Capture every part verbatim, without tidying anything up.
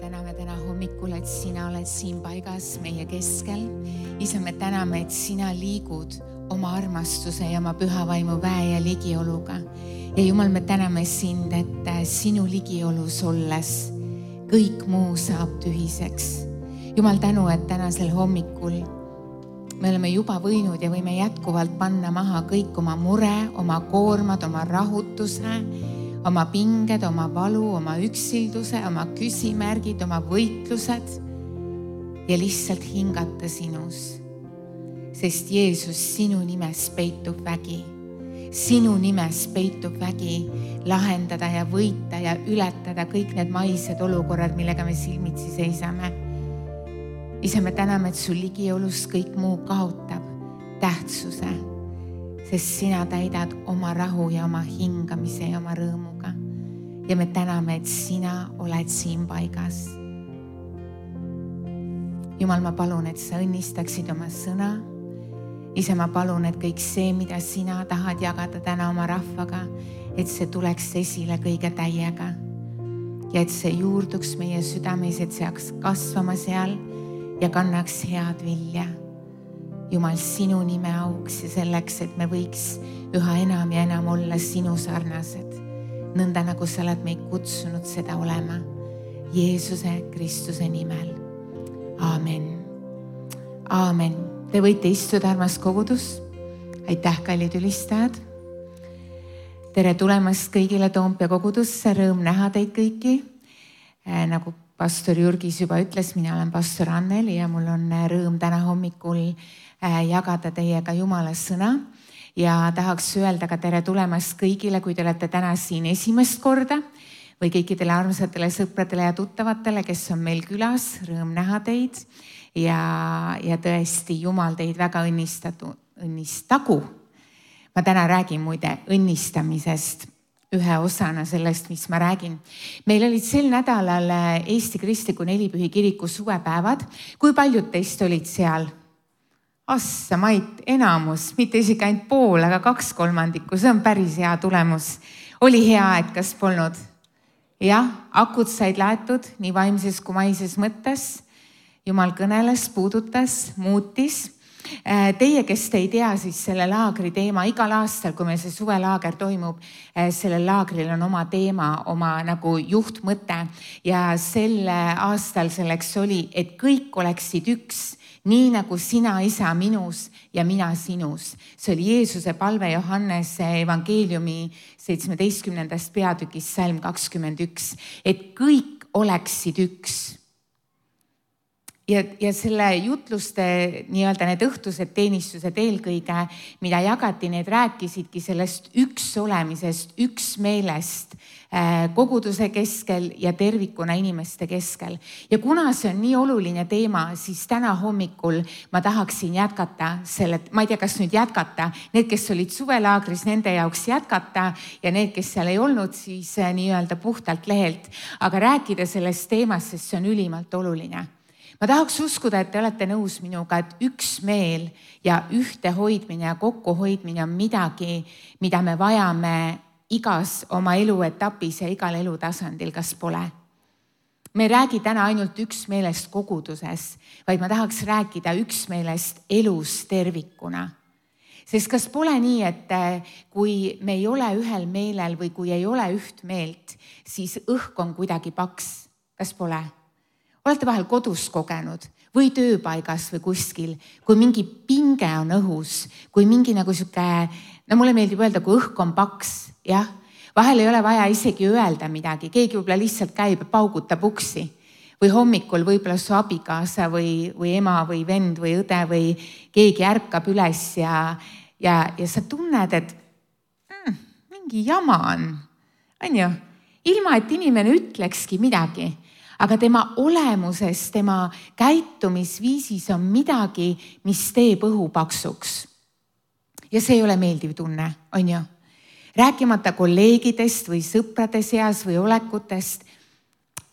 täname täna hommikul, et sina oled siin paigas meie keskel. Isa, me täname, et sina liigud oma armastuse ja oma püha vaimu väe ja ligioluga. Ja Jumal, me täname sind, et sinu ligiolus olles kõik muu saab tühiseks. Jumal, tänu, et tänasel hommikul me oleme juba võinud ja võime jätkuvalt panna maha kõik oma mure, oma koormad, oma rahutuse, oma pinged, oma valu, oma üksilduse, oma küsimärgid, oma võitlused ja lihtsalt hingata sinus. Sest Jeesus, sinu nimes peitub vägi. Sinu nimes peitub vägi lahendada ja võita ja ületada kõik need maised olukorrad, millega me silmitsi seisame. Isa, me täname, et su ligiolus kõik muu kaotab tähtsuse, sest sina täidad oma rahu ja oma hingamise ja oma rõõmuga. Ja me täname, et sina oled siin paigas. Jumal, ma palun, et sa õnnistaksid oma sõna. Isa, ma palun, et kõik see, mida sina tahad jagada täna oma rahvaga, et see tuleks esile kõige täiega. Ja et see juurduks meie südames, et see hakkaks kasvama seal ja kannaks head vilja. Jumal, sinu nime auks ja selleks, et me võiks üha enam ja enam olla sinu sarnased. Nõnda nagu sa oled meid kutsunud seda olema. Jeesuse Kristuse nimel. Aamen. Aamen. Te võite istuda, armas kogudus. Aitäh, kallid ülistajad. Tere tulemast kõigile Toompea kogudusse. Rõõm näha teid kõiki. Nagu pastor Jürgis juba ütles, mina olen pastor Anneli ja mul on rõõm täna hommikul jagada teiega Jumala sõna ja tahaks öelda ka tere tulemast kõigile, kui te olete täna siin esimest korda või kõikidele armsatele sõpradele ja tuttavatele, kes on meil külas. Rõõm näha teid ja, ja tõesti Jumal teid väga õnnistatu, õnnistagu. Ma täna räägin muide õnnistamisest. Ühe osana sellest, mis ma räägin. Meil olid sel nädalal Eesti Kristliku Nelipühi kiriku suvepäevad. Kui paljud teist olid seal? Assa, Mait, enamus, mitte isegi ainult pool, aga kaks kolmandikku. See on päris hea tulemus. Oli hea, et kas polnud? Jah, akud said laetud nii vaimses kui maises mõttes. Jumal kõneles, puudutas, muutis. Teie, kes te ei tea, siis selle laagri teema igal aastal, kui meil see suvelaager toimub, sellel laagril on oma teema, oma nagu juhtmõte ja sel aastal selleks oli, et kõik oleksid üks, nii nagu sina, isa, minus ja mina sinus. See oli Jeesuse palve Johannese evangeeliumi seitsmeteistkümnendast peatükist salm kakskümmend üks, et kõik oleksid üks. Ja, ja selle jutluste, nii-öelda need õhtused teenistused eelkõige, mida jagati, need rääkisidki sellest üks olemisest, üks meelest koguduse keskel ja tervikuna inimeste keskel. Ja kuna see on nii oluline teema, siis täna hommikul ma tahaksin jätkata selle, ma ei tea, kas nüüd jätkata, need, kes olid suvelaagris, nende jaoks jätkata ja need, kes seal ei olnud, siis nii-öelda puhtalt lehelt, aga rääkida sellest teemast, sest see on ülimalt oluline. Ma tahaks uskuda, et te olete nõus minuga, et üks meel ja ühte hoidmine ja kokku hoidmine on midagi, mida me vajame igas oma eluetapis ja igal elutasandil, kas pole. Me ei räägi täna ainult üks meelest koguduses, vaid ma tahaks rääkida üks meelest elus tervikuna. Sest kas pole nii, et kui me ei ole ühel meelel või kui ei ole üht meelt, siis õhk on kuidagi paks, kas pole? Olete vahel kodus kogenud või tööpaigas või kuskil, kui mingi pinge on õhus, kui mingi nagu siuke, no mulle meeldib öelda, kui õhk on paks, jah, vahel ei ole vaja isegi öelda midagi, keegi võib-olla lihtsalt käib ja paugutab uksi või hommikul võib-olla su abikaasa või, või ema või vend või õde või keegi ärkab üles ja, ja, ja sa tunned, et mm, mingi jama on, on ju, ilma et inimene ütlekski midagi. Aga tema olemuses, tema käitumisviisis on midagi, mis teeb õhu paksuks. Ja see ei ole meeldiv tunne, on ju? Rääkimata kolleegidest või sõprade seas või olekutest,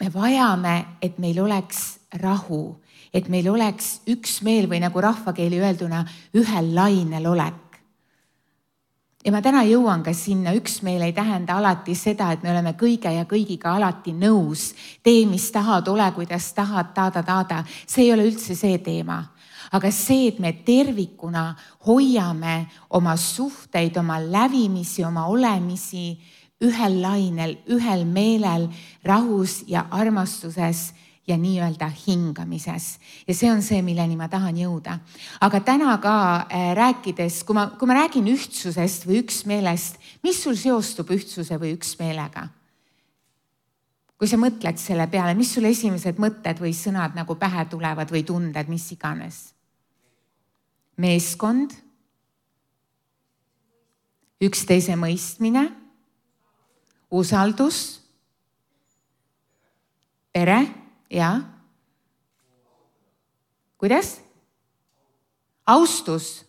me vajame, et meil oleks rahu, et meil oleks üks meel või nagu rahvakeeli öelduna ühel lainel olek. ja ma täna jõuan ka sinna, üksmeel ei tähenda alati seda, et me oleme kõige ja kõigiga alati nõus. Tee, mis tahad, ole, kuidas tahad, taada, taada. See ei ole üldse see teema. Aga see, et me tervikuna hoiame oma suhteid, oma lävimisi, oma olemisi ühel lainel, ühel meelel, rahus ja armastuses ja nii-öelda hingamises. Ja see on see, milleni ma tahan jõuda. Aga täna ka rääkides, kui ma, kui ma räägin ühtsusest või üksmeelest, mis sul seostub ühtsuse või üksmeelega? Kui sa mõtled selle peale, mis sul esimesed mõtted või sõnad nagu pähe tulevad või tunded, mis iganes? Meeskond, üksteise mõistmine, usaldus, pere, ja? Kuidas? Austus,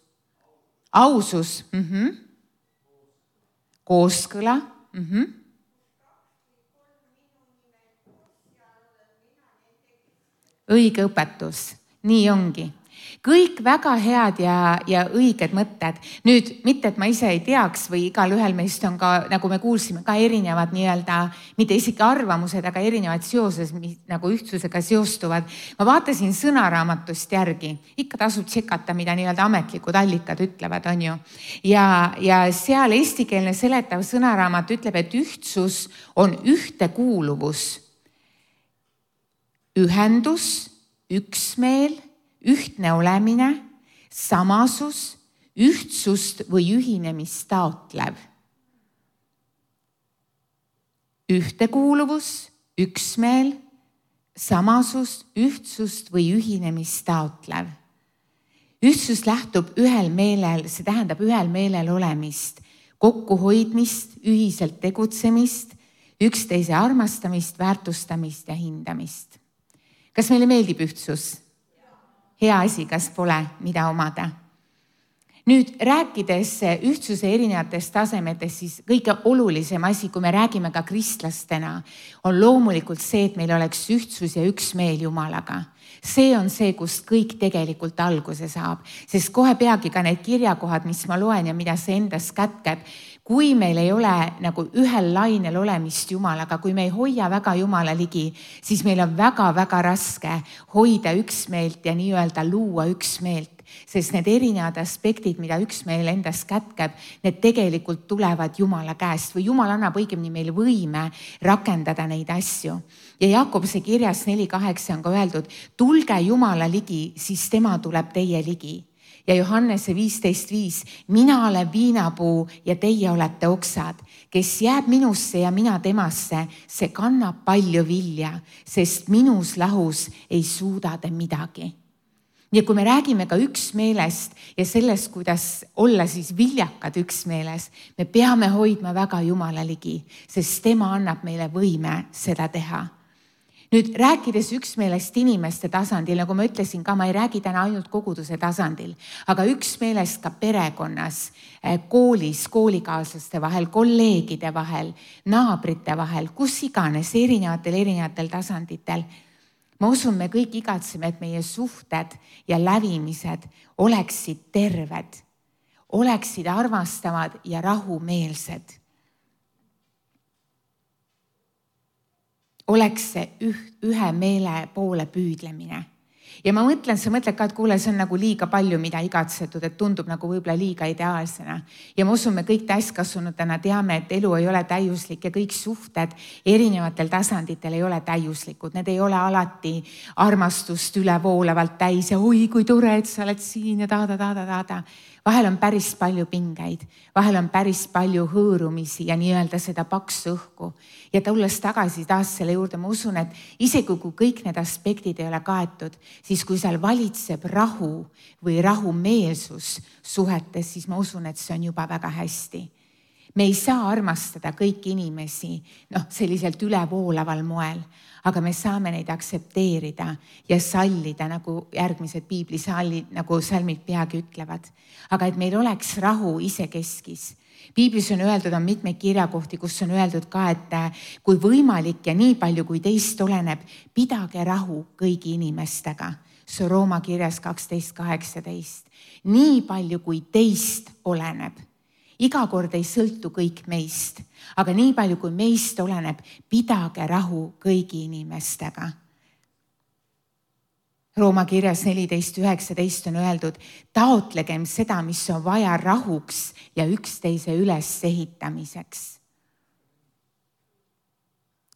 ausus, mm-hmm. Kooskõla, mm-hmm. Õige õpetus, nii ongi. Kõik väga head ja, ja õiged mõtted. Nüüd, mitte et ma ise ei teaks või igal ühel meist on ka, nagu me kuulsime, ka erinevad nii-öelda, mitte isegi arvamused, aga erinevad seoses, mis nagu ühtsusega seostuvad. Ma vaatasin sõnaraamatust järgi. Ikka tasub tšekata, mida nii-öelda ametlikud allikad ütlevad, on ju. Ja, ja seal eestikeelne seletav sõnaraamat ütleb, et ühtsus on ühtekuuluvus, ühendus, üksmeel, ühtne olemine, samasus, ühtsust või ühinemist taotlev. Ühtekuuluvus, üksmeel, samasus, ühtsust või ühinemist taotlev. Ühtsus lähtub ühel meelel, see tähendab ühel meelel olemist, kokkuhoidmist, ühiselt tegutsemist, üksteise armastamist, väärtustamist ja hindamist. Kas meile meeldib ühtsus? Hea asi, kas pole, mida omada. Nüüd rääkides ühtsuse erinevatest tasemetest, siis kõige olulisem asi, kui me räägime ka kristlastena, on loomulikult see, et meil oleks ühtsus ja üksmeel Jumalaga. See on see, kust kõik tegelikult alguse saab, sest kohe peagi ka need kirjakohad, mis ma loen ja mida see endas kätkeb, kui meil ei ole nagu ühel lainel olemist Jumalaga, kui me ei hoia väga Jumala ligi, siis meil on väga-väga raske hoida üksmeelt ja nii-öelda luua üksmeelt, sest need erinevad aspektid, mida üksmeel endas kätkeb, need tegelikult tulevad Jumala käest või Jumal annab õigemini meil võime rakendada neid asju. Ja Jakobuse kirjas neli kaheksa on ka öeldud, tulge Jumala ligi, siis tema tuleb teie ligi. Ja Johannese viisteist viis, mina olen viinapuu ja teie olete oksad, kes jääb minusse ja mina temasse, see kannab palju vilja, sest minus lahus ei suuda te midagi. Ja kui me räägime ka üksmeelest ja sellest, kuidas olla siis viljakad üksmeeles, me peame hoidma väga Jumala ligi, sest tema annab meile võime seda teha. Nüüd rääkides üksmeelest inimeste tasandil, nagu ma ütlesin ka, ma ei räägi täna ainult koguduse tasandil, aga üksmeelest ka perekonnas, koolis, koolikaaslaste vahel, kolleegide vahel, naabrite vahel, kus iganes, erinevatel, erinevatel tasanditel. Ma usun, me kõik igatseme, et meie suhted ja lävimised oleksid terved, oleksid armastavad ja rahumeelsed. Oleks see üht, ühe meele poole püüdlemine. Ja ma mõtlen, sa mõtled ka, et kuule, see on nagu liiga palju, mida igatsetud, et tundub nagu võib-olla liiga ideaalsena. Ja ma usun, me kõik täiskasvanutena teame, et elu ei ole täiuslik ja kõik suhted erinevatel tasanditel ei ole täiuslikud. Need ei ole alati armastust ülevoolavalt täis ja oi, kui tore, et sa oled siin ja taada, taada, taada. Vahel on päris palju pingeid, vahel on päris palju hõõrumisi ja nii-öelda seda paksu õhku. Ja tulles tagasi taas selle juurde, ma usun, et isegi kui kõik need aspektid ei ole kaetud, siis kui seal valitseb rahu või rahumeelsus suhetes, siis ma usun, et see on juba väga hästi. Me ei saa armastada kõiki inimesi noh, selliselt ülevoolaval moel, aga me saame neid aksepteerida ja sallida, nagu järgmised piiblisallid, nagu salmid peagi ütlevad. Aga et meil oleks rahu isekeskis. Piiblis on öeldud, on mitmeid kirjakohti, kus on öeldud ka, et kui võimalik ja nii palju, kui teist oleneb, pidage rahu kõigi inimestega. See on Rooma kirjas kaksteist kaheksateist. Nii palju, kui teist oleneb. iga kord ei sõltu kõik meist, aga nii palju kui meist oleneb, pidage rahu kõigi inimestega. Rooma kirjas neliteist üheksateist on öeldud, taotlegem seda, mis on vaja rahuks ja üksteise ülesehitamiseks.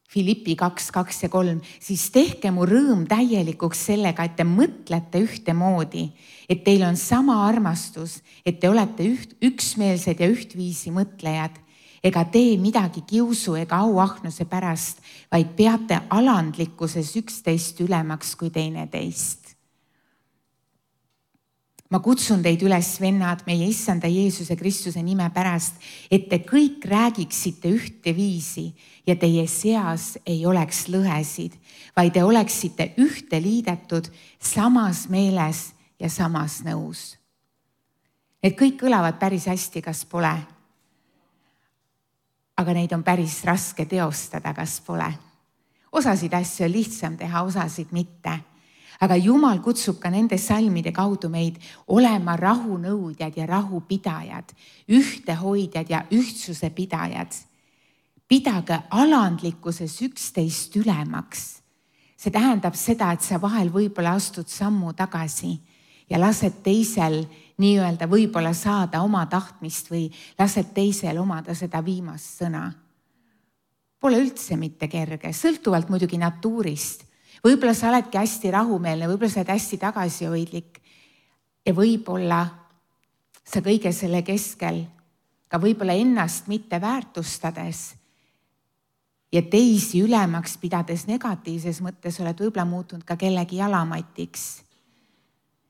Filippi kaks, kaks ja kolm, siis tehke mu rõõm täielikuks sellega, et te mõtlete ühtemoodi, et teil on sama armastus, et te olete üht, üksmeelsed ja ühtviisi mõtlejad, ega tee midagi kiusu ega auahnuse pärast, vaid peate alandlikkuses üksteist ülemaks kui teineteist. Ma kutsun teid üles, vennad, meie Issanda Jeesuse Kristuse nime pärast, et te kõik räägiksite ühte viisi ja teie seas ei oleks lõhesid, vaid te oleksite ühte liidetud samas meeles ja samas nõus. Need kõik kõlavad päris hästi, kas pole? Aga neid on päris raske teostada, kas pole. Osasid asju on lihtsam teha, osasid mitte. Aga Jumal kutsub ka nende salmide kaudu meid olema rahunõudjad ja rahupidajad, ühtehoidjad ja ühtsuse pidajad. Pidage alandlikkuses üksteist ülemaks. See tähendab seda, et sa vahel võib-olla astud sammu tagasi ja lased teisel nii-öelda võib-olla saada oma tahtmist või lased teisel omada seda viimast sõna. Pole üldse mitte kerge, sõltuvalt muidugi natuurist. Võib-olla sa oledki hästi rahumeelne, võib-olla sa oled hästi tagasihoidlik ja võib-olla sa kõige selle keskel ka võib-olla ennast mitte väärtustades ja teisi ülemaks pidades negatiivses mõttes oled võib-olla muutunud ka kellegi jalamatiks.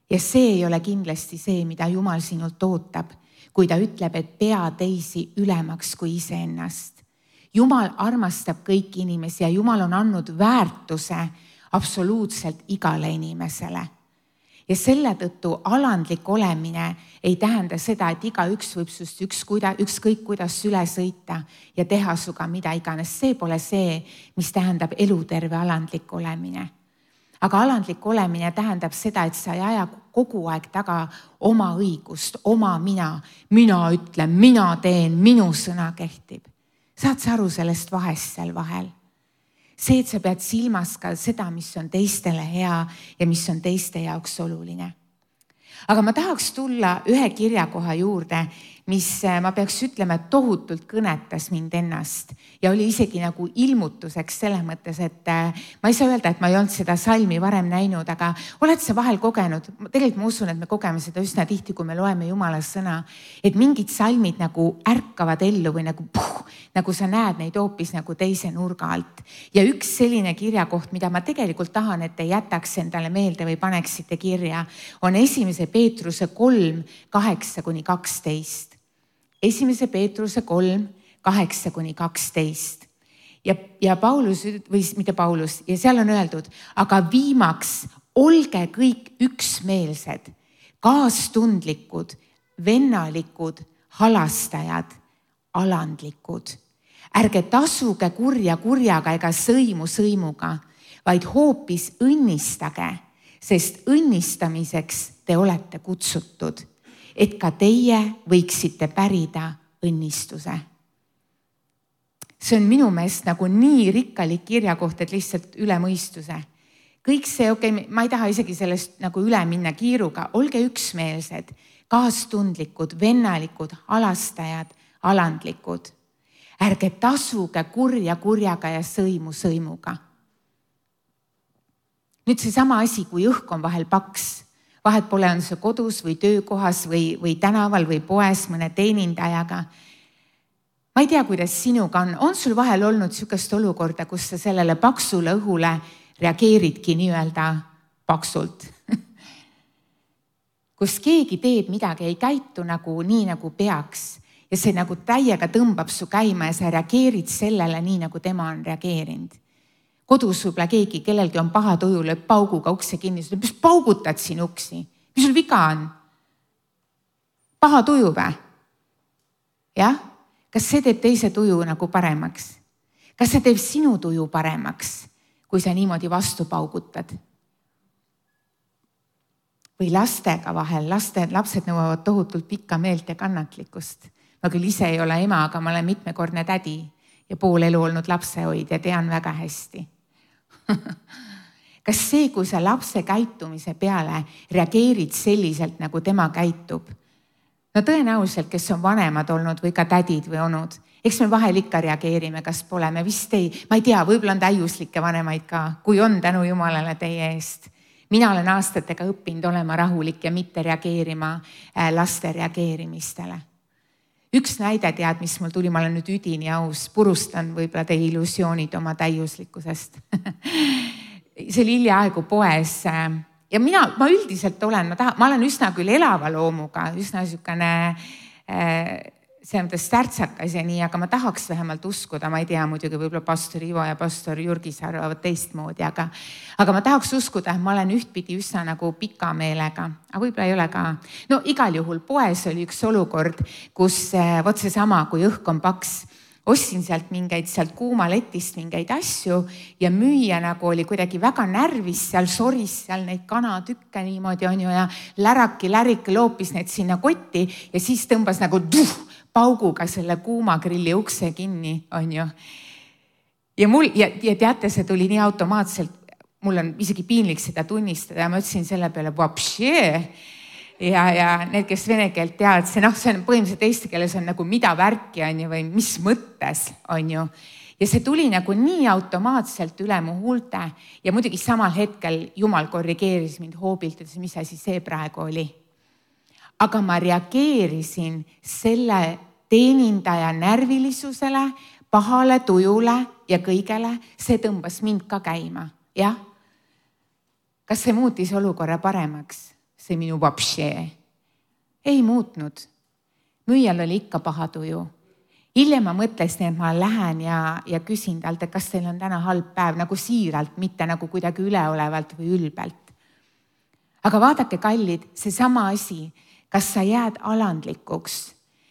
Ja see ei ole kindlasti see, mida Jumal sinult ootab, kui ta ütleb, et pea teisi ülemaks kui iseennast. Jumal armastab kõiki inimesi ja Jumal on andnud väärtuse absoluutselt igale inimesele. Ja selle tõttu alandlik olemine ei tähenda seda, et iga üks võib sust üks, ükskõik kuidas üle sõita ja teha suga mida iganes. See pole see, mis tähendab eluterve alandlik olemine. Aga alandlik olemine tähendab seda, et sa ei aja kogu aeg taga oma õigust, oma mina. Mina ütlen, mina teen, minu sõna kehtib. Saad sa aru sellest vahest seal vahel? See, et sa pead silmas ka seda, mis on teistele hea ja mis on teiste jaoks oluline. Aga ma tahaks tulla ühe kirjakoha juurde, mis ma peaks ütlema, et tohutult kõnetas mind ennast ja oli isegi nagu ilmutuseks selles mõttes, et ma ei saa öelda, et ma ei olnud seda salmi varem näinud, aga oled sa vahel kogenud, tegelikult ma usun, et me kogeme seda üsna tihti, kui me loeme Jumala sõna, et mingid salmid nagu ärkavad ellu või nagu, puh, nagu sa näed neid hoopis nagu teise nurga alt. Ja üks selline kirjakoht, mida ma tegelikult tahan, et te jätaks endale meelde või paneksite kirja, on esimese Peetruse kolm, kaheksa kuni kaksteist. Esimese Peetruse kolm, kaheksa kuni kaksteist. Ja, ja Paulus, või mitte Paulus, ja seal on öeldud, aga viimaks olge kõik üksmeelsed, kaastundlikud, vennalikud, halastajad, alandlikud. Ärge tasuge kurja kurjaga ega sõimu sõimuga, vaid hoopis õnnistage, sest õnnistamiseks te olete kutsutud, et ka teie võiksite pärida õnnistuse. See on minu meelest nagu nii rikkalik kirjakoht, et lihtsalt üle mõistuse. Kõik see, okei, okay, ma ei taha isegi sellest nagu üle minna kiiruga, olge üksmeelsed, kaastundlikud, vennalikud, halastajad, alandlikud. Ärge tasuge kurja kurjaga ja sõimu sõimuga. Nüüd see sama asi, kui õhk on vahel paks, vahet pole, on see kodus või töökohas või, või tänaval või poes mõne teenindajaga. Ma ei tea, kuidas sinuga on. On sul vahel olnud sükest olukorda, kus sa sellele paksule õhule reageeridki nii-öelda paksult? Kus keegi teeb midagi, ei käitu nagu nii, nagu peaks ja see nagu täiega tõmbab su käima ja sa reageerid sellele nii, nagu tema on reageerinud. Kodus võib-olla keegi, kellelgi on paha tuju, lööb pauguga ukse kinni, mis paugutad siin uksi? Mis sul viga on? Paha tuju või? Jah? Kas see teeb teise tuju nagu paremaks? Kas see teeb sinu tuju paremaks, kui sa niimoodi vastu paugutad? Või lastega vahel, laste, lapsed nõuavad tohutult pikka meelt ja kannatlikkust. ma küll ise ei ole ema, aga ma olen mitmekordne tädi ja pool elu olnud lapsehoid ja tean väga hästi. Kas see, kui sa lapse käitumise peale reageerid selliselt, nagu tema käitub? No tõenäoliselt, kes on vanemad olnud või ka tädid või onud, eks me vahel ikka reageerime, kas pole, me vist ei, ma ei tea, võib-olla on täiuslikke vanemaid ka, kui on, tänu Jumalale teie eest. Mina olen aastatega õppinud olema rahulik ja mitte reageerima laste reageerimistele. Üks näide tead, mis mul tuli, ma olen nüüd üdini aus, purustan võib-olla teie illusioonid oma täiuslikkusest. See oli hiljaaegu poes ja mina, ma üldiselt olen, ma, taha, ma olen üsna küll elava loomuga, üsna niisugune see mõttes stärtsakas ja nii, aga ma tahaks vähemalt uskuda, ma ei tea, muidugi võib-olla pastor Ivo ja pastor Jürgis arvavad teistmoodi, aga, aga ma tahaks uskuda, et ma olen ühtpidi üsna nagu pika meelega, aga võib-olla ei ole ka. No igal juhul poes oli üks olukord, kus võt see sama, kui õhk on paks, ostsin sealt mingeid, sealt kuumaletist mingeid asju ja müüja nagu oli kuidagi väga närvis, seal soris seal neid kanatükke niimoodi on ju ja läraki, läriki loopis need sinna kotti ja siis tõmbas nagu tuh, pauguga selle kuumagrilli ukse kinni, on ju. Ja mul, ja, ja teate, see tuli nii automaatselt, mul on isegi piinlik seda tunnistada ja ma ütlesin selle peale, vapšee. Ja, ja need, kes vene keelt teavad, see, noh, see on põhimõtteliselt eesti keeles on nagu mida värki on ju või mis mõttes on ju. Ja see tuli nagu nii automaatselt üle mu huulte ja muidugi samal hetkel Jumal korrigeeris mind hoobilt, et mis asi see praegu oli. Aga ma reageerisin selle teenindaja närvilisusele, pahale tujule ja kõigele, see tõmbas mind ka käima, jah? Kas see muutis olukorra paremaks? See minu vapšee. Ei muutnud. Müüjal oli ikka paha tuju. Hiljem ma mõtlesin, et ma lähen ja, ja küsin talt, et kas teil on täna halb päev, nagu siiralt, mitte nagu kuidagi üleolevalt või ülbelt. Aga vaadake, kallid, see sama asi, kas sa jääd alandlikuks,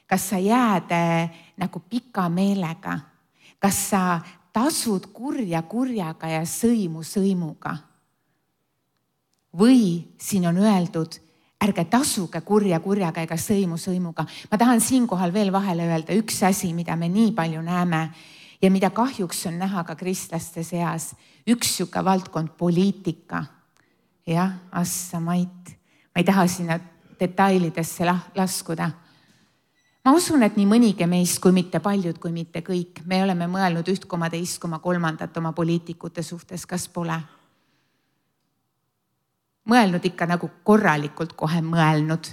kas sa jääd äh, nagu pika meelega, kas sa tasud kurja kurjaga ja sõimu sõimuga. Või siin on öeldud, ärge tasuge kurja kurjaga ega sõimu sõimuga. Ma tahan siinkohal veel vahele öelda üks asi, mida me nii palju näeme ja mida kahjuks on näha ka kristlaste seas. Üks siuke valdkond poliitika. Jah, assa mait. Ma ei taha sinna detailidesse laskuda. Ma usun, et nii mõnigi meist, kui mitte paljud, kui mitte kõik, me oleme mõelnud üht koma teist koma kolmandat oma poliitikute suhtes, kas pole? Mõelnud ikka nagu korralikult kohe mõelnud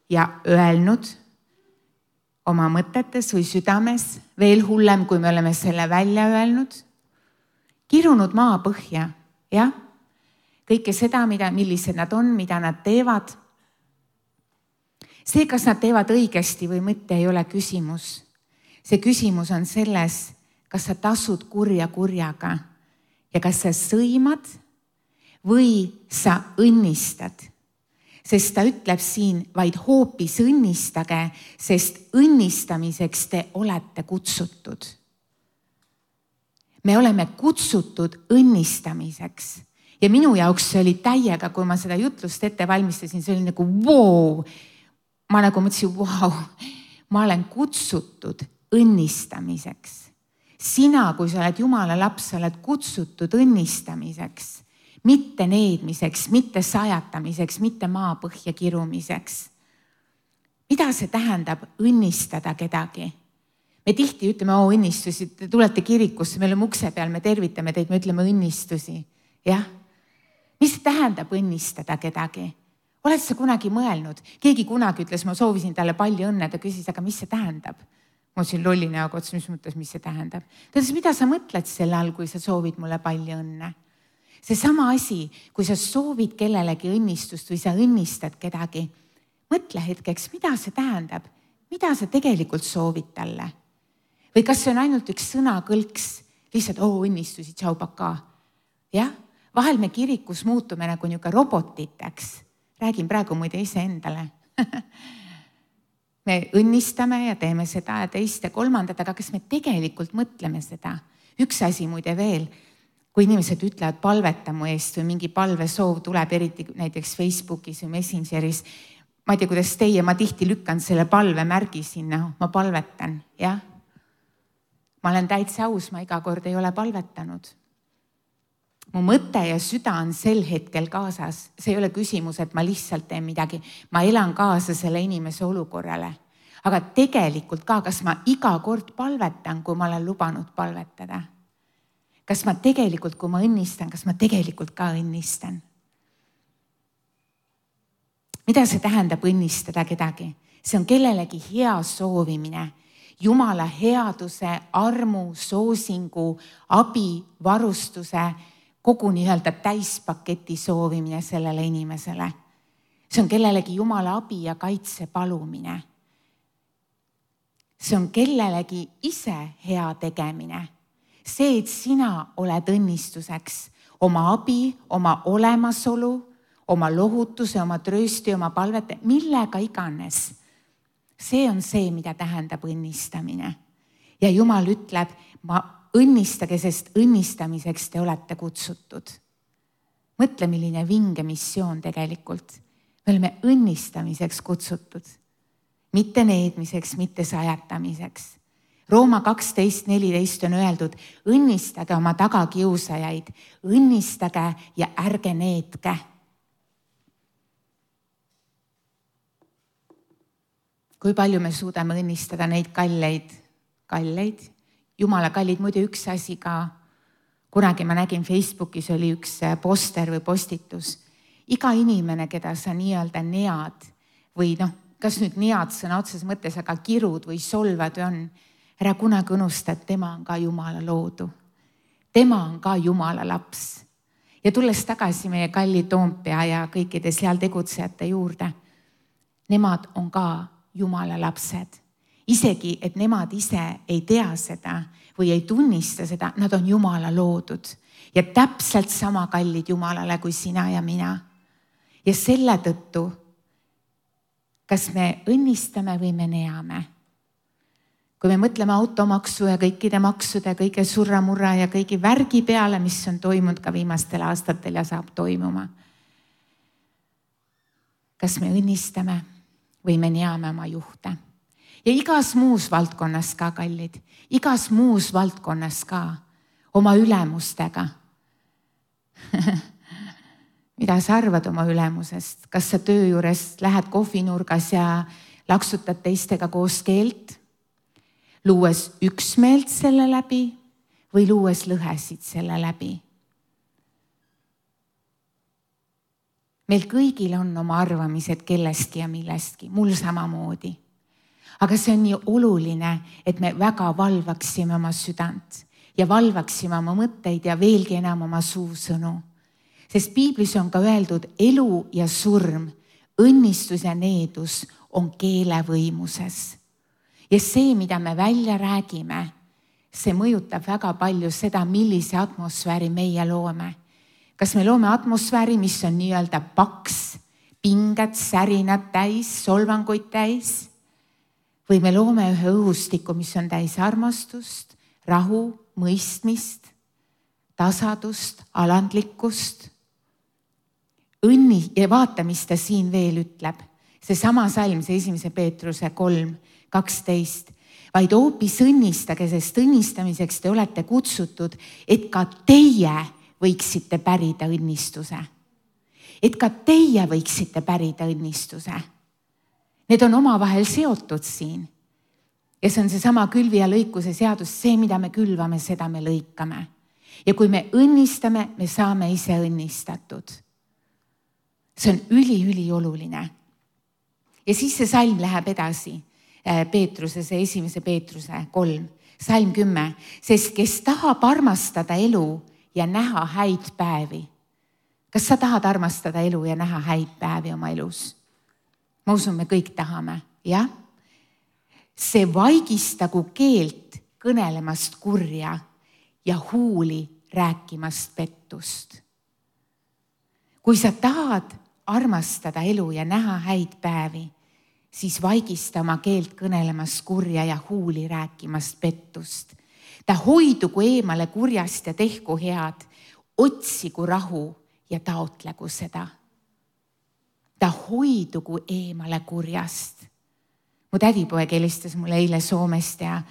ja öelnud oma mõtetes või südames, veel hullem, kui me oleme selle välja öelnud, kirunud maa põhja, jah? Kõike seda, mida, millised nad on, mida nad teevad. See, kas nad teevad õigesti või mitte, ei ole küsimus. See küsimus on selles, kas sa tasud kurja kurjaga ja kas sa sõimad või sa õnnistad, sest ta ütleb siin vaid hoopis õnnistage, sest õnnistamiseks te olete kutsutud. Me oleme kutsutud õnnistamiseks ja minu jaoks see oli täiega, kui ma seda jutlust ette valmistasin, see oli nagu wow. Ma nagu mõtlesin, wow, ma olen kutsutud õnnistamiseks. Sina, kui sa oled Jumala laps, sa oled kutsutud õnnistamiseks. Mitte needmiseks, mitte sajatamiseks, mitte maapõhja kirumiseks. Mida see tähendab õnnistada kedagi? Me tihti ütleme, oo õnnistusi, te tulete kirikusse, me oleme ukse peal, me tervitame teid, me ütleme õnnistusi. Jah? Mis see tähendab õnnistada kedagi? Oled sa kunagi mõelnud? Keegi kunagi ütles, ma soovisin talle palju õnne, ta küsis, aga mis see tähendab? Ma siin lolli näoga otsa, mis mõttes, mis see tähendab? Ta ütles, mida sa mõtled selle all, kui sa soovid mulle palju õnne? See sama asi, kui sa soovid kellelegi õnnistust või sa õnnistad kedagi, mõtle hetkeks, mida see tähendab, mida sa tegelikult soovid talle. Või kas see on ainult üks sõnakõlks, lihtsalt oo õnnistusi, tšau paka. Jah, vahel me kirikus muutume nagu niuke robotiteks. Räägin praegu muide ise endale. Me õnnistame ja teeme seda ja teist ja kolmandat, aga kas me tegelikult mõtleme seda? Üks asi muide veel. Kui inimesed ütlevad palveta mu eest või mingi palvesoov tuleb eriti näiteks Facebookis või Messengeris, ma ei tea, kuidas teie, ma tihti lükkan selle palvemärgi sinna, ma palvetan, jah. Ma olen täitsa aus, ma iga kord ei ole palvetanud. Mu mõte ja süda on sel hetkel kaasas. See ei ole küsimus, et ma lihtsalt teen midagi. Ma elan kaasa selle inimese olukorrale. Aga tegelikult ka, kas ma iga kord palvetan, kui ma olen lubanud palvetada? Kas ma tegelikult, kui ma õnnistan, kas ma tegelikult ka õnnistan? Mida see tähendab õnnistada kedagi? See on kellelegi hea soovimine. Jumala headuse, armu, soosingu, abi, varustuse, kogu nii-öelda täispaketi soovimine sellele inimesele. See on kellelegi Jumala abi ja kaitse palumine. See on kellelegi ise hea tegemine. See, et sina oled õnnistuseks oma abi, oma olemasolu, oma lohutuse, oma tröösti, oma palvete, millega iganes. See on see, mida tähendab õnnistamine. Ja Jumal ütleb, ma õnnistage, sest õnnistamiseks te olete kutsutud. Mõtle, milline vinge missioon tegelikult. Me oleme õnnistamiseks kutsutud. Mitte needmiseks, mitte sajatamiseks. Rooma kaksteist neliteist on öeldud, õnnistage oma tagakiusajaid, õnnistage ja ärge needke. Kui palju me suudame õnnistada neid kalleid, kalleid, Jumala kallid, muidu üks asi ka, kunagi ma nägin Facebookis oli üks poster või postitus. Iga inimene, keda sa nii-öelda nead või noh, kas nüüd nead sõna otses mõttes, aga kirud või solvad on, ära kunagi unusta, et tema on ka Jumala loodu. Tema on ka Jumala laps. Ja tulles tagasi meie kalli Toompea ja kõikide seal tegutsejate juurde, nemad on ka Jumala lapsed. Isegi, et nemad ise ei tea seda või ei tunnista seda, nad on Jumala loodud ja täpselt sama kallid Jumalale kui sina ja mina. Ja selle tõttu, kas me õnnistame või me neame? Kui me mõtleme automaksu ja kõikide maksude, kõige surramurra ja kõigi värgi peale, mis on toimunud ka viimastel aastatel ja saab toimuma. Kas me õnnistame või me neame oma juhte? Ja igas muus valdkonnas ka, kallid, igas muus valdkonnas ka, oma ülemustega. Mida sa arvad oma ülemusest? Kas sa töö juures lähed kohvinurgas ja laksutad teistega koos keelt, luues üksmeelt selle läbi või luues lõhesid selle läbi? Meil kõigil on oma arvamised kellestki ja millestki, mul samamoodi. Aga see on nii oluline, et me väga valvaksime oma südant ja valvaksime oma mõtteid ja veelgi enam oma suusõnu. Sest piiblis on ka öeldud, elu ja surm, õnnistus ja needus on keele võimuses. Ja see, mida me välja räägime, see mõjutab väga palju seda, millise atmosfääri meie loome. Kas me loome atmosfääri, mis on nii-öelda paks, pinged, särinad täis, solvanguid täis? Või me loome ühe õhustiku, mis on täis armastust, rahu, mõistmist, tasadust, alandlikkust? Õnni ja vaata, mis ta siin veel ütleb. See sama salm, see esimese Peetruse kolm, kaksteist. Vaid hoopis õnnistage, sest õnnistamiseks te olete kutsutud, et ka teie võiksite pärida õnnistuse. Et ka teie võiksite pärida õnnistuse. Need on omavahel seotud siin. Ja see on see sama külvi ja lõikuse seadus, see, mida me külvame, seda me lõikame. Ja kui me õnnistame, me saame ise õnnistatud. See on üli-üli oluline. Ja siis see salm läheb edasi. Peetruse, see esimese Peetruse kolm, salm kümme. Sest kes tahab armastada elu ja näha häid päevi. Kas sa tahad armastada elu ja näha häid päevi oma elus? Ma usun, me kõik tahame, jah? See vaigistagu keelt kõnelemast kurja ja huuli rääkimast pettust. Kui sa tahad armastada elu ja näha häid päevi, siis vaigista oma keelt kõnelemast kurja ja huuli rääkimast pettust. Ta hoidugu eemale kurjast ja tehku head, otsigu rahu ja taotlegu seda. ta hoidugu eemale kurjast. Mu tädipoeg helistas mulle eile Soomest ja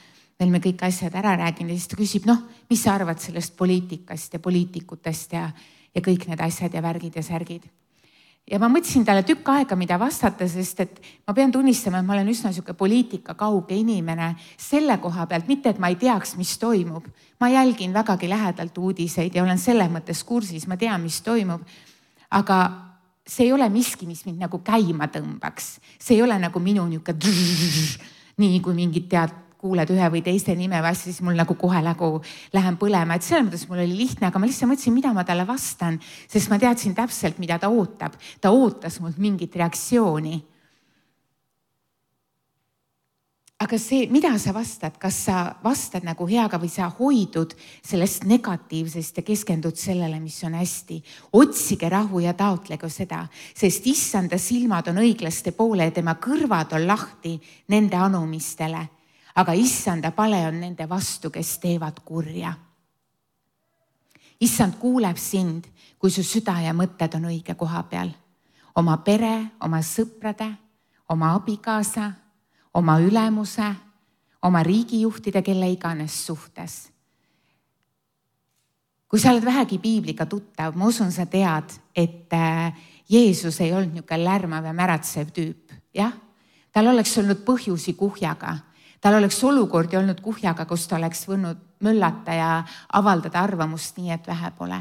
veel me kõik asjad ära rääginud ja siis ta küsib, noh, mis sa arvad sellest poliitikast ja poliitikutest ja, ja kõik need asjad ja värgid ja särgid. Ja ma mõtlesin talle tükk aega, mida vastata, sest et ma pean tunnistama, et ma olen üsna siuke poliitika kauge inimene selle koha pealt, mitte et ma ei teaks, mis toimub. Ma jälgin vägagi lähedalt uudiseid ja olen selles mõttes kursis, ma tean, mis toimub, aga see ei ole miski, mis mind nagu käima tõmbaks. See ei ole nagu minu niuke drrr, nii kui mingid tead, kuuled ühe või teiste nime või asja, siis mul nagu kohe nagu lähen põlema. Et selles mõttes mul oli lihtne, aga ma lihtsalt mõtlesin, mida ma talle vastan, sest ma teadsin täpselt, mida ta ootab. Ta ootas mult mingit reaktsiooni. Aga see, mida sa vastad, kas sa vastad nagu heaga või sa hoidud sellest negatiivsest ja keskendud sellele, mis on hästi. Otsige rahu ja taotlegu seda, sest issanda silmad on õiglaste poole ja tema kõrvad on lahti nende anumistele. Aga issanda pale on nende vastu, kes teevad kurja. Issand kuuleb sind, kui su süda ja mõtted on õige koha peal. Oma pere, oma sõprade, oma abikaasa, oma ülemuse, oma riigijuhtide, kelle iganes suhtes. Kui sa oled vähegi piibliga tuttav, ma usun, sa tead, et Jeesus ei olnud niisugune lärmav ja märatsev tüüp. Jah? Tal oleks olnud põhjusi kuhjaga. Tal oleks olukordi olnud kuhjaga, kus ta oleks võinud möllata ja avaldada arvamust nii, et vähe pole.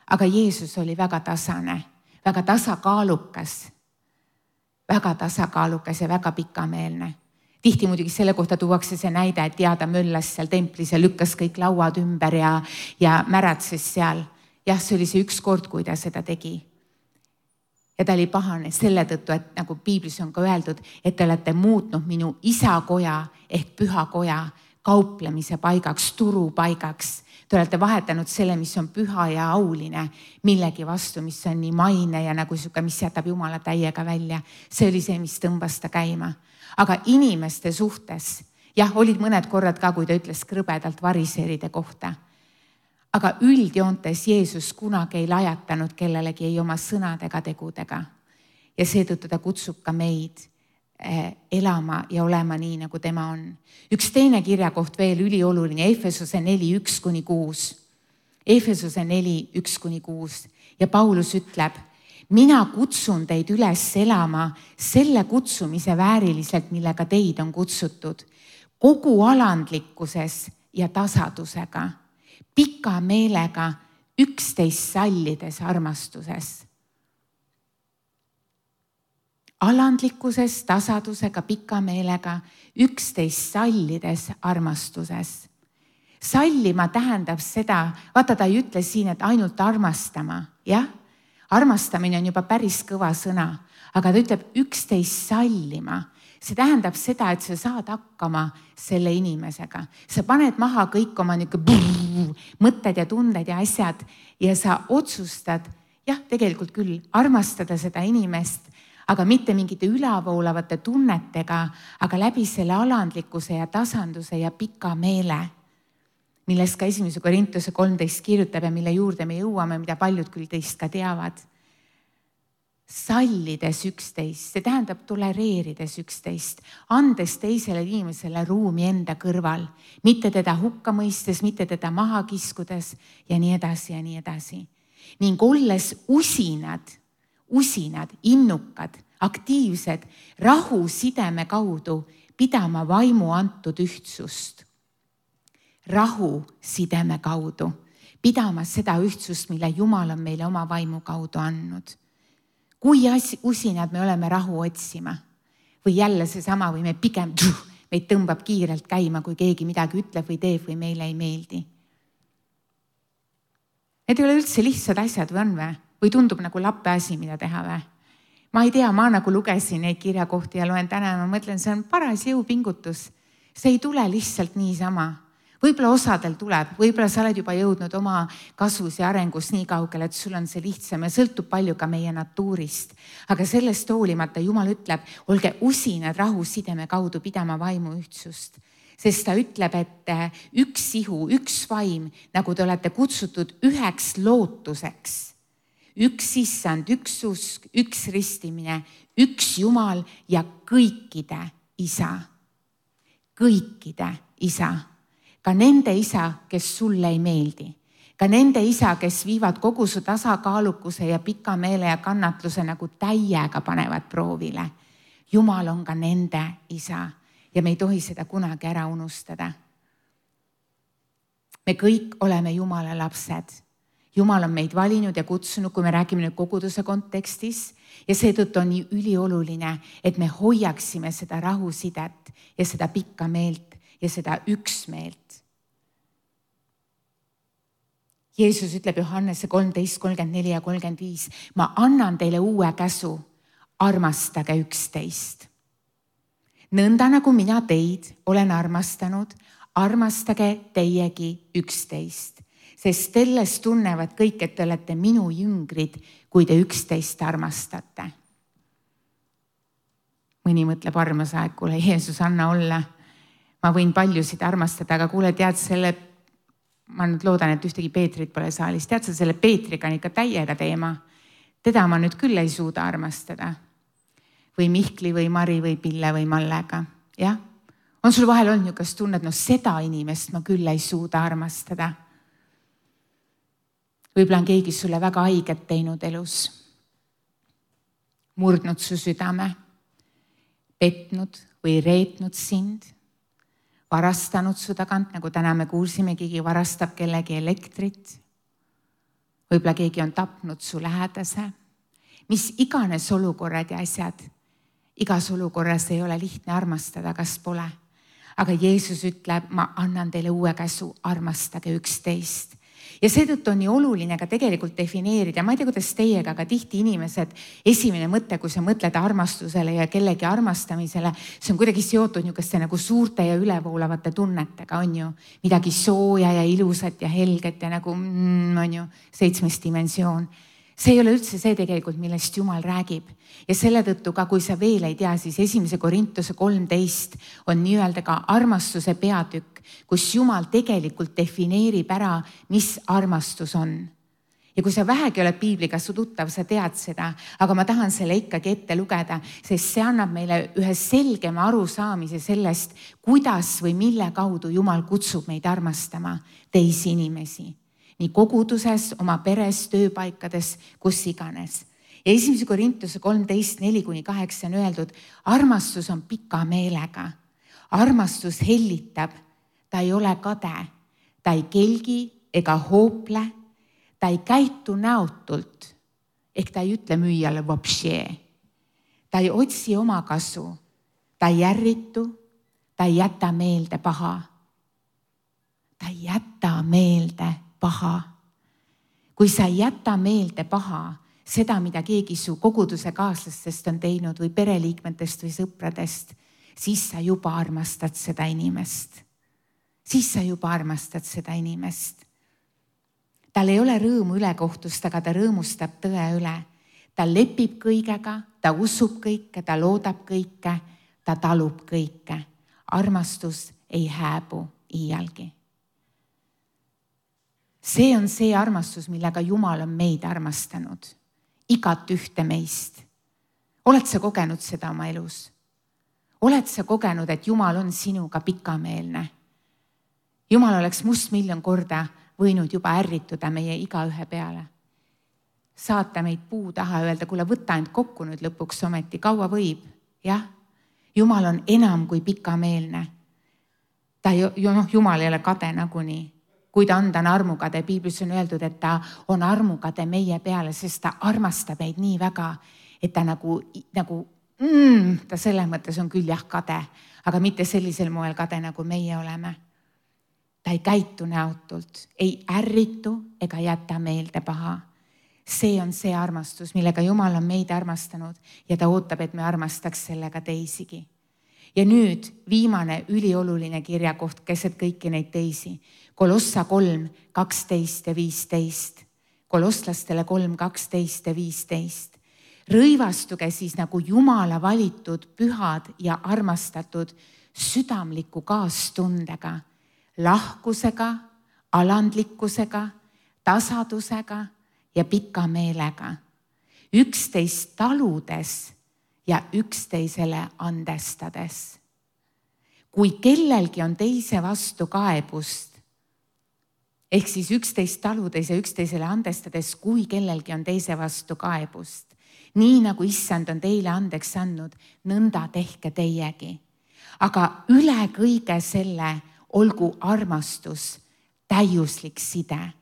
Aga Jeesus oli väga tasane, väga tasakaalukas, väga tasakaalukas ja väga pikameelne. Tihti muidugi selle kohta tuuakse see näide, et ja ta möllas seal templis ja lükkas kõik lauad ümber ja, ja märatses seal. Jah, see oli see üks kord, kui ta seda tegi. Ja ta oli pahane selle tõttu, et nagu piiblis on ka öeldud, et te olete muutnud minu isakoja ehk pühakoja kauplemise paigaks, turupaigaks. Te olete vahetanud selle, mis on püha ja auline, millegi vastu, mis on nii maine ja nagu siuke, mis jätab Jumala täiega välja. See oli see, mis tõmbas ta käima. Aga inimeste suhtes, jah, olid mõned korrad ka, kui ta ütles krõbedalt variseeride kohta. Aga üldjoontes Jeesus kunagi ei lajatanud kellelegi ei oma sõnade ega tegudega. Ja seetõttu ta kutsub ka meid elama ja olema nii, nagu tema on. Üks teine kirjakoht veel ülioluline, Efesuse neli, üks kuni kuus. Efesuse neli, üks kuni kuus. Ja Paulus ütleb, mina kutsun teid üles elama selle kutsumise vääriliselt, millega teid on kutsutud. Kogu alandlikkuses ja tasadusega. Pika meelega, üksteist sallides armastuses. Alandlikkuses, tasadusega, pika meelega, üksteist sallides armastuses. Sallima tähendab seda, vaata ta ei ütle siin, et ainult armastama, jah? Armastamine on juba päris kõva sõna, aga ta ütleb üksteist sallima. See tähendab seda, et sa saad hakkama selle inimesega. Sa paned maha kõik oma brrr, mõtted ja tunded ja asjad ja sa otsustad, jah, tegelikult küll armastada seda inimest, aga mitte mingite ülavoolavate tunnetega, aga läbi selle alandlikkuse ja tasanduse ja pika meele, millest ka esimese Korintuse kolmteist kirjutab ja mille juurde me jõuame, mida paljud küll teist ka teavad. Sallides üksteist, see tähendab tolereerides üksteist, andes teisele inimesele ruumi enda kõrval, mitte teda hukka mõistes, mitte teda maha kiskudes ja nii edasi ja nii edasi. Ning olles usinad, usinad, innukad, aktiivsed, rahu sideme kaudu pidama vaimu antud ühtsust. Rahu sideme kaudu, pidama seda ühtsust, mille Jumal on meile oma vaimu kaudu andnud. Kui usinad me oleme rahu otsima või jälle seesama või me pigem meid tõmbab kiirelt käima, kui keegi midagi ütleb või teeb või meile ei meeldi. Need ei ole üldse lihtsad asjad või on või? Või tundub nagu lappe asi, mida teha või? Ma ei tea, ma nagu lugesin neid kirjakohti ja loen täna ja ma mõtlen, see on paras jõupingutus. See ei tule lihtsalt niisama. Võib-olla osadel tuleb, võib-olla sa oled juba jõudnud oma kasvus ja arengus nii kaugele, et sul on see lihtsam ja sõltub palju ka meie natuurist. Aga sellest hoolimata Jumal ütleb, olge usinad rahu sideme kaudu pidama vaimu ühtsust. Sest ta ütleb, et üks ihu, üks vaim, nagu te olete kutsutud üheks lootuseks. üks issand, üks usk, üks ristimine, üks Jumal ja kõikide isa. Kõikide isa. Ka nende isa, kes sulle ei meeldi. Ka nende isa, kes viivad kogu su tasakaalukuse ja pika meele ja kannatluse nagu täiega panevad proovile. Jumal on ka nende isa ja me ei tohi seda kunagi ära unustada. Me kõik oleme Jumala lapsed. Jumal on meid valinud ja kutsunud, kui me räägime nüüd koguduse kontekstis ja seetõttu on nii ülioluline, et me hoiaksime seda rahusidet ja seda pikka meelt ja seda üksmeelt. Jeesus ütleb Johannese kolmteist, kolmkümmend neli ja kolmkümmend viis, ma annan teile uue käsu, armastage üksteist. Nõnda nagu mina teid olen armastanud, armastage teiegi üksteist, sest sellest tunnevad kõik, et te olete minu jüngrid, kui te üksteist armastate. Mõni mõtleb armas aeg, kuule Jeesus, anna olla. Ma võin paljusid armastada, aga kuule, tead selle, ma nüüd loodan, et ühtegi Peetrit pole saalis, tead sa selle Peetriga on ikka täiega teema. Teda ma nüüd küll ei suuda armastada. Või Mihkli või Mari või Pille või Mallega. Jah? On sul vahel olnud niisugust tunnet, no seda inimest ma küll ei suuda armastada. Võib-olla on keegi sulle väga haiget teinud elus. Murdnud su südame, petnud või reetnud sind, varastanud su tagant, nagu täna me kuulsime, keegi varastab kellegi elektrit. Võib-olla keegi on tapnud su lähedase. Mis iganes olukorrad ja asjad, igas olukorras ei ole lihtne armastada, kas pole. Aga Jeesus ütleb, ma annan teile uue käsu, armastage üksteist. Ja seetõttu on nii oluline ka tegelikult defineerida, ma ei tea, kuidas teiega, aga tihti inimesed, esimene mõte, kui sa mõtled armastusele ja kellegi armastamisele, see on kuidagi seotud niisuguste nagu suurte ja ülevoolavate tunnetega, on ju. Midagi sooja ja ilusat ja helget ja nagu, mm, on ju, seitsmes dimensioon. See ei ole üldse see tegelikult, millest Jumal räägib. Ja selle tõttu ka, kui sa veel ei tea, siis esimese Korintuse kolmteist on nii-öelda ka armastuse peatükk, kus Jumal tegelikult defineerib ära, mis armastus on. Ja kui sa vähegi oled piibliga su tuttav, sa tead seda, aga ma tahan selle ikkagi ette lugeda, sest see annab meile ühe selgema arusaamise sellest, kuidas või mille kaudu Jumal kutsub meid armastama teisi inimesi. Nii koguduses, oma peres, tööpaikades, kus iganes. Ja esimese Korintuse kolmteist, neli kuni kaheksa on öeldud, armastus on pika meelega. Armastus hellitab, ta ei ole kade, ta ei kelgi ega hoople, ta ei käitu näotult, ehk ta ei ütle müüjale vopšee. Ta ei otsi oma kasu, ta ei järritu, ta ei jäta meelde paha. Ta ei jäta meelde paha. Kui sa ei jäta meelde paha, seda, mida keegi su koguduse kaaslastest on teinud või pereliikmetest või sõpradest, siis sa juba armastad seda inimest. Siis sa juba armastad seda inimest. Tal ei ole rõõmu ülekohtust, aga ta rõõmustab tõe üle. Ta lepib kõigega, ta usub kõike, ta loodab kõike, ta talub kõike. Armastus ei hääbu iialgi. See on see armastus, millega Jumal on meid armastanud. Igat ühte meist. Oled sa kogenud seda oma elus? Oled sa kogenud, et Jumal on sinuga pikameelne? Jumal oleks must miljon korda võinud juba ärrituda meie igaühe peale. Saata meid puu taha, öelda, kuule, võta end kokku nüüd lõpuks ometi, kaua võib? Jah, Jumal on enam kui pikameelne. Ta ju, noh, Jumal ei ole kade nagunii. Kui ta on, ta on armukade, piiblis on öeldud, et ta on armukade meie peale, sest ta armastab meid nii väga, et ta nagu, nagu mm, ta selles mõttes on küll jah kade, aga mitte sellisel moel kade, nagu meie oleme. Ta ei käitu näotult, ei ärritu ega jäta meelde paha. See on see armastus, millega Jumal on meid armastanud ja ta ootab, et me armastaks sellega teisigi. Ja nüüd viimane ülioluline kirjakoht keset kõiki neid teisi. Kolossa kolm, kaksteist ja viisteist. Kolosslastele kolm, kaksteist ja viisteist. Rõivastuge siis nagu Jumala valitud, pühad ja armastatud südamliku kaastundega, lahkusega, alandlikkusega, tasadusega ja pika meelega, üksteist taludes ja üksteisele andestades. Kui kellelgi on teise vastu kaebust, ehk siis üksteist taludes ja üksteisele andestades, kui kellelgi on teise vastu kaebust, nii nagu issand on teile andeks andnud, nõnda tehke teiegi. Aga üle kõige selle olgu armastus, täiuslik side.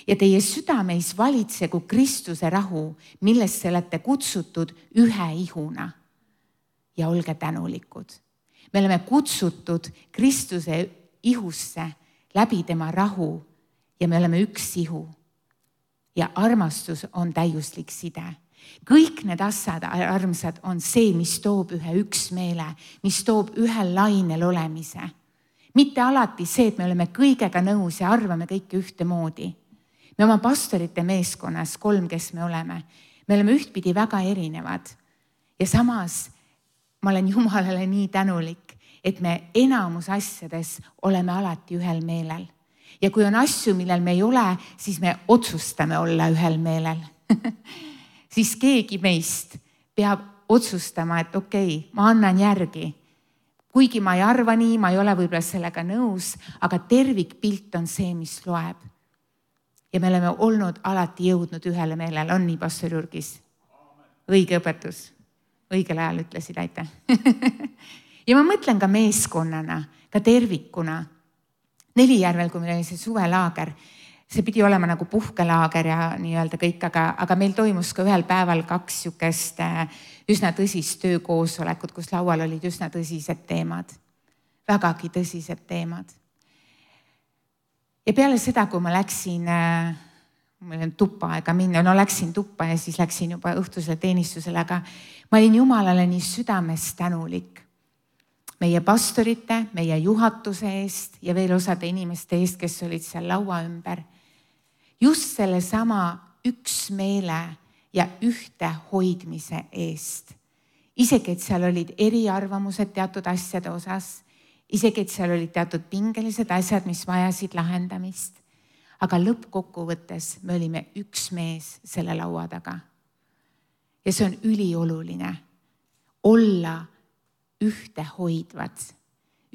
Ja teie südameis valitsegu Kristuse rahu, millesse olete kutsutud ühe ihuna. Ja olge tänulikud. Me oleme kutsutud Kristuse ihusse läbi tema rahu ja me oleme üks ihu. Ja armastus on täiuslik side. Kõik need asjad, armsad, on see, mis toob ühe üksmeele, mis toob ühel lainel olemise. Mitte alati see, et me oleme kõigega nõus ja arvame kõike ühtemoodi. Me oma pastorite meeskonnas, kolm, kes me oleme, me oleme ühtpidi väga erinevad. Ja samas ma olen Jumalale nii tänulik, et me enamus asjades oleme alati ühel meelel. Ja kui on asju, millel me ei ole, siis me otsustame olla ühel meelel. Siis keegi meist peab otsustama, et okei, okay, ma annan järgi. Kuigi ma ei arva nii, ma ei ole võib-olla sellega nõus, aga tervikpilt on see, mis loeb. Ja me oleme olnud alati jõudnud ühele meelele. On nii, pastor Jurgis? Õige õpetus. Õigel ajal ütlesid, aitäh. Ja ma mõtlen ka meeskonnana, ka tervikuna. Nelijärvel, kui meil oli see suvelaager, see pidi olema nagu puhkelaager ja nii-öelda kõik, aga, aga meil toimus ka ühel päeval kaks sükest üsna tõsist töökoosolekut, kus laual olid üsna tõsised teemad. Vägagi tõsised teemad. Ja peale seda, kui ma läksin, mul on tuppa aega minna, no läksin tuppa ja siis läksin juba õhtusele teenistusele, aga ma olin Jumalale nii südames tänulik. Meie pastorite, meie juhatuse eest ja veel osade inimeste eest, kes olid seal laua ümber. Just selle sama üksmeele ja ühte hoidmise eest. Isegi, et seal olid eriarvamused teatud asjade osas, isegi, et seal olid teatud pingelised asjad, mis vajasid lahendamist. Aga lõppkokkuvõttes me olime üks mees selle laua taga. Ja see on ülioluline. Olla ühte hoidvad.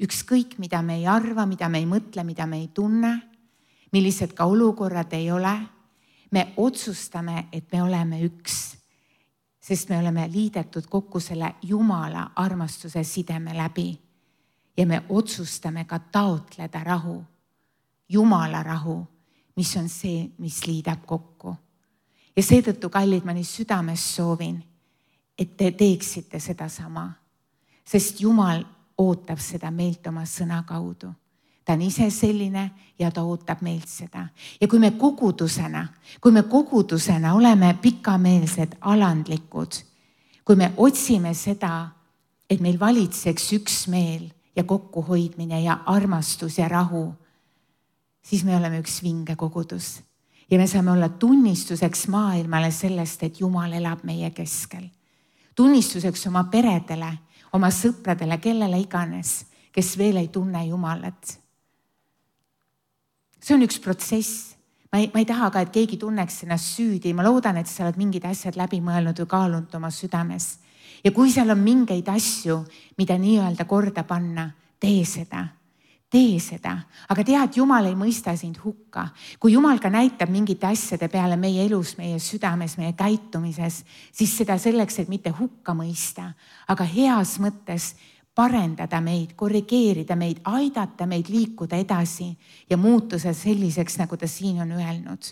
Ükskõik, mida me ei arva, mida me ei mõtle, mida me ei tunne, millised ka olukorrad ei ole, me otsustame, et me oleme üks, sest me oleme liidetud kokku selle Jumala armastuse sideme läbi ja me otsustame ka taotleda rahu, Jumala rahu, mis on see, mis liidab kokku. Ja seetõttu, kallid, ma nii südames soovin, et te teeksite seda sama. Sest Jumal ootab seda meilt oma sõna kaudu. Ta on ise selline ja ta ootab meilt seda. Ja kui me kogudusena, kui me kogudusena oleme pikameelsed, alandlikud, kui me otsime seda, et meil valitseks üksmeel ja kokkuhoidmine ja armastus ja rahu, siis me oleme üks vinge kogudus. Ja me saame olla tunnistuseks maailmale sellest, et Jumal elab meie keskel. Tunnistuseks oma peredele, oma sõpradele, kellele iganes, kes veel ei tunne Jumalat. See on üks protsess. Ma ei, ma ei taha ka, et keegi tunneks ennast süüdi. Ma loodan, et sa oled mingid asjad läbi mõelnud või kaalunud oma südames. Ja kui seal on mingeid asju, mida nii-öelda korda panna, tee seda. Tee seda. Aga tea, et Jumal ei mõista sind hukka. Kui Jumal ka näitab mingite asjade peale meie elus, meie südames, meie käitumises, siis seda selleks, et mitte hukka mõista, aga heas mõttes parendada meid, korrigeerida meid, aidata meid liikuda edasi ja muutuda selliseks, nagu ta siin on öelnud.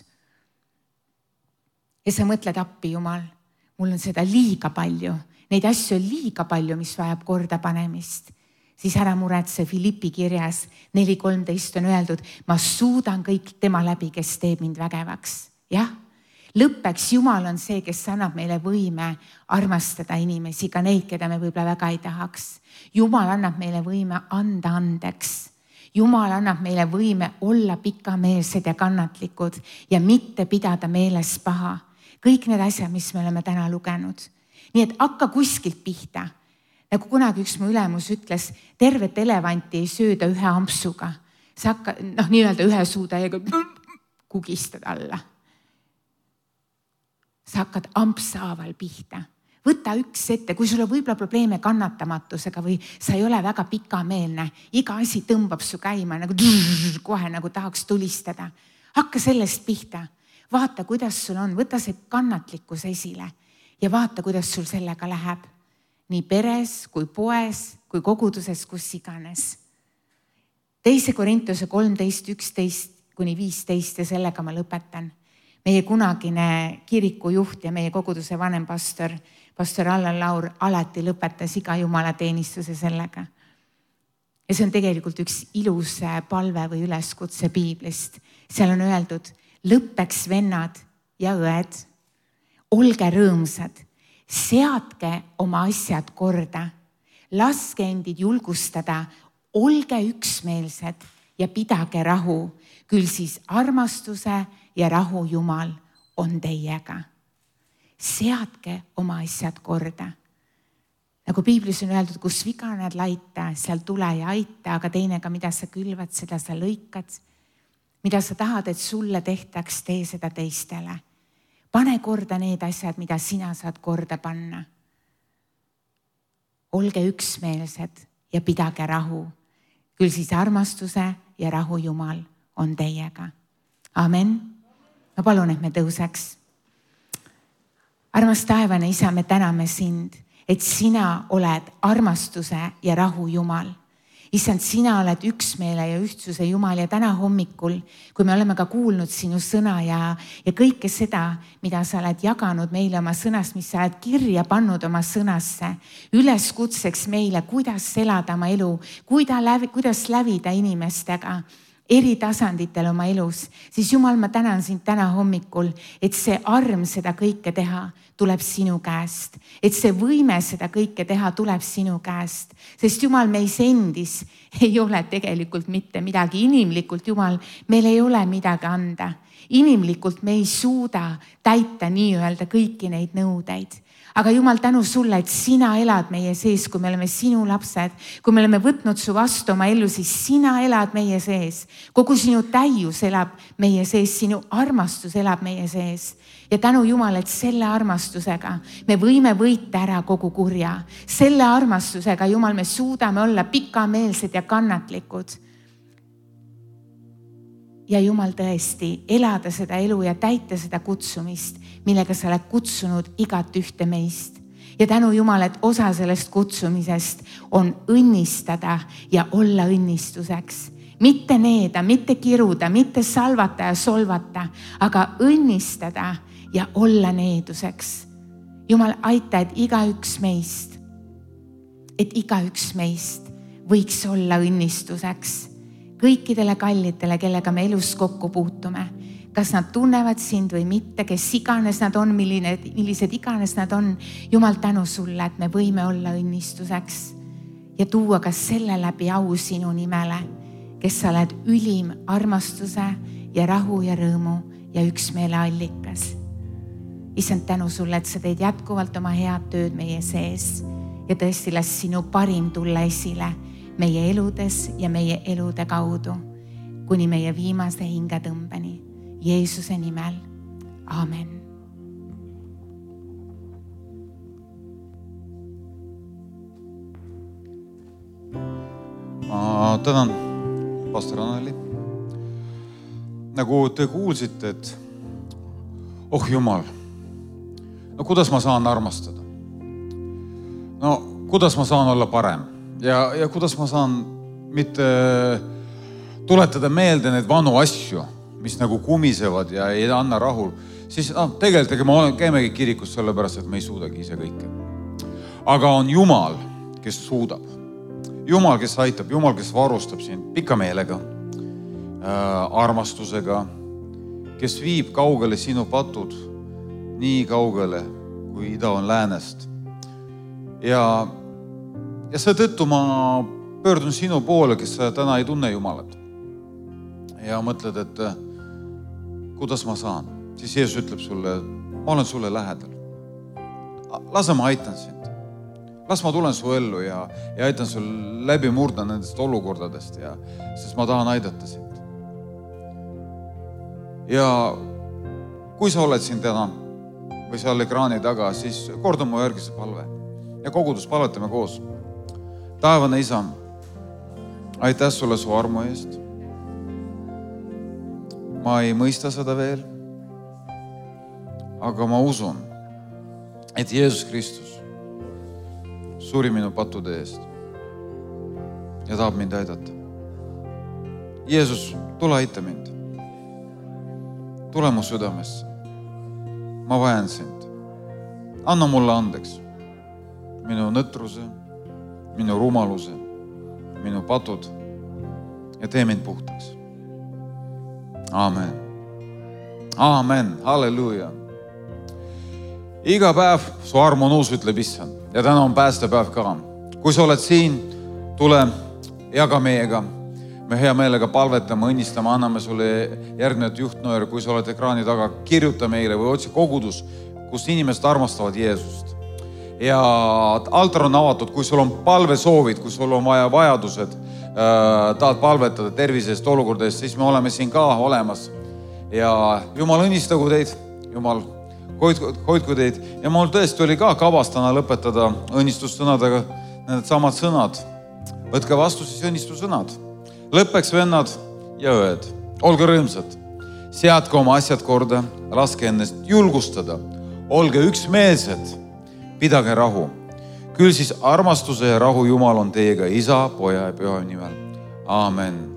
Ja sa mõtled appi, Jumal, mul on seda liiga palju. Neid asju on liiga palju, mis vajab korda panemist. Siis ära muretse, Filippi kirjas neli kolmteist on öeldud, ma suudan kõik tema läbi, kes teeb mind vägevaks. Jah, lõppeks Jumal on see, kes annab meile võime armastada inimesi, ka neid, keda me võib-olla väga ei tahaks. Jumal annab meile võime anda andeks. Jumal annab meile võime olla pikameelsed ja kannatlikud ja mitte pidada meeles paha. Kõik need asjad, mis me oleme täna lugenud. Nii et hakka kuskilt pihta. Nagu kunagi üks mu ülemus ütles, tervet elevanti ei sööda ühe ampsuga. Sa hakka, noh, nii-öelda ühe suutäiega kugistad alla. sa hakkad ampshaaval pihta. Võta üks ette, kui sul on võib-olla probleeme kannatamatusega või sa ei ole väga pikameelne, iga asi tõmbab su käima nagu kohe nagu tahaks tulistada. Hakka sellest pihta, vaata, kuidas sul on, võta see kannatlikkus esile ja vaata, kuidas sul sellega läheb. Nii peres kui poes, kui koguduses, kus iganes. Teise Korintuse kolmteist, üksteist kuni viisteist ja sellega ma lõpetan. Meie kunagine kirikujuht ja meie koguduse vanem pastor, pastor Allan Laur, alati lõpetas iga jumalateenistuse sellega. Ja see on tegelikult üks ilus palve või üleskutse Piiblist. Seal on öeldud, lõppeks vennad ja õed, olge rõõmsad, seadke oma asjad korda, laske endid julgustada, olge üksmeelsed ja pidage rahu, küll siis armastuse ja rahu Jumal on teiega. Seadke oma asjad korda. Nagu Piiblis on öeldud, kus viga näed laita, seal tule ja aita, aga teine ka, mida sa külvad, seda sa lõikad. Mida sa tahad, et sulle tehtaks, tee seda teistele. Pane korda need asjad, mida sina saad korda panna. Olge üksmeelsed ja pidage rahu. Küll siis armastuse ja rahu Jumal on teiega. Amen. Ma palun, et me tõuseks. Armas taevane Isa, me täname sind, et sina oled armastuse ja rahu Jumal. Issand, sina oled üksmeele ja ühtsuse Jumal ja täna hommikul, kui me oleme ka kuulnud sinu sõna ja, ja kõike seda, mida sa oled jaganud meile oma sõnast, mis sa oled kirja pannud oma sõnasse, üleskutseks meile, kuidas elada oma elu, kuidas lävida inimestega, eri tasanditel oma elus, siis Jumal, ma tänan sind täna hommikul, et see arm seda kõike teha tuleb sinu käest. Et see võime seda kõike teha tuleb sinu käest. Sest Jumal, meis endis ei ole tegelikult mitte midagi. Inimlikult, Jumal, meil ei ole midagi anda. Inimlikult me ei suuda täita nii-öelda kõiki neid nõudeid. Aga Jumal, tänu sulle, et sina elad meie sees, kui me oleme sinu lapsed, kui me oleme võtnud su vastu oma ellu, siis sina elad meie sees. Kogu sinu täius elab meie sees, sinu armastus elab meie sees. Ja tänu Jumal, et selle armastusega me võime võita ära kogu kurja. Selle armastusega, Jumal, me suudame olla pikameelsed ja kannatlikud. Ja Jumal tõesti elada seda elu ja täita seda kutsumist, millega sa oled kutsunud igat ühte meist. Ja tänu Jumal, et osa sellest kutsumisest on õnnistada ja olla õnnistuseks. Mitte needa, mitte kiruda, mitte salvata ja solvata, aga õnnistada ja olla needuseks. Jumal, aita, et igaüks meist, et igaüks meist võiks olla õnnistuseks. Kõikidele kallitele, kellega me elus kokku puutume, kas nad tunnevad sind või mitte, kes iganes nad on, milline, millised iganes nad on. Jumal, tänu sulle, et me võime olla õnnistuseks ja tuua ka selle läbi au sinu nimele, kes sa oled ülim armastuse ja rahu ja rõõmu ja üksmeele allikas. Issand, tänu sulle, et sa teed jätkuvalt oma head tööd meie sees ja tõesti las sinu parim tulla esile meie eludes ja meie elude kaudu, kuni meie viimase hingetõmbeni. Jeesuse nimel. Amen. Ma tänan, pastor Anneli. Nagu te kuulsite, et oh Jumal, no kuidas ma saan armastada? No kuidas ma saan olla parem? Ja, ja kuidas ma saan mitte tuletada meelde need vanu asju, mis nagu kumisevad ja ei anna rahul, siis no, tegelikult me käimegi kirikus sellepärast, et me ei suudagi ise kõike. Aga on Jumal, kes suudab. Jumal, kes aitab, Jumal, kes varustab sind pika meelega, äh, armastusega, kes viib kaugele sinu patud, nii kaugele, kui ida on läänest. Ja Ja seetõttu ma pöördun sinu poole, kes sa täna ei tunne Jumalat. Ja mõtled, et kuidas ma saan. Siis Jeesus ütleb sulle, ma olen sulle lähedal. Lase ma aitan sind. Las ma tulen su ellu ja, ja aitan sul läbi murda nendest olukordadest, ja, sest ma tahan aidata sind. Ja kui sa oled siin täna või seal ekraani taga, siis korda mu järgi see palve. Ja kogudus palvetame koos. Taevane Isa, aitäh sulle su armu eest. Ma ei mõista seda veel, aga ma usun, et Jeesus Kristus suri minu pattude eest ja tahab mind aidata. Jeesus, tule aita mind. Tule mu südamesse. Ma vajan sind. Anna mulle andeks minu nõtruse, minu rumaluse, minu patud ja tee mind puhtaks. Amen. Amen. Halleluuja. Iga päev su arm on uus, ütleb Issand. Ja täna on päästepäev ka. Kui sa oled siin, tule jaga meiega. Me hea meelega palvetame, õnnistame, anname sulle järgnevat juhtnööri. Kui sa oled ekraani taga, kirjuta meile või otsi kogudus, kus inimesed armastavad Jeesust. Ja altar on avatud, kui sul on palvesoovid, kui sul on vaja vajadused, äh, tahad palvetada tervisest olukordadest, siis me oleme siin ka olemas. Ja Jumal õnnistagu teid, Jumal hoidku, hoidku teid. Ja mul tõesti oli ka kavas täna lõpetada õnnistussõnadega need samad sõnad. Võtke vastu siis õnnistussõnad. Lõppeks vennad ja õed. Olge rõõmsad. Seadke oma asjad korda, laske ennast julgustada. Olge üksmeelsed. Pidage rahu. Küll siis armastuse ja rahu Jumal on teiega Isa, Poja ja Püha nimel. Amen.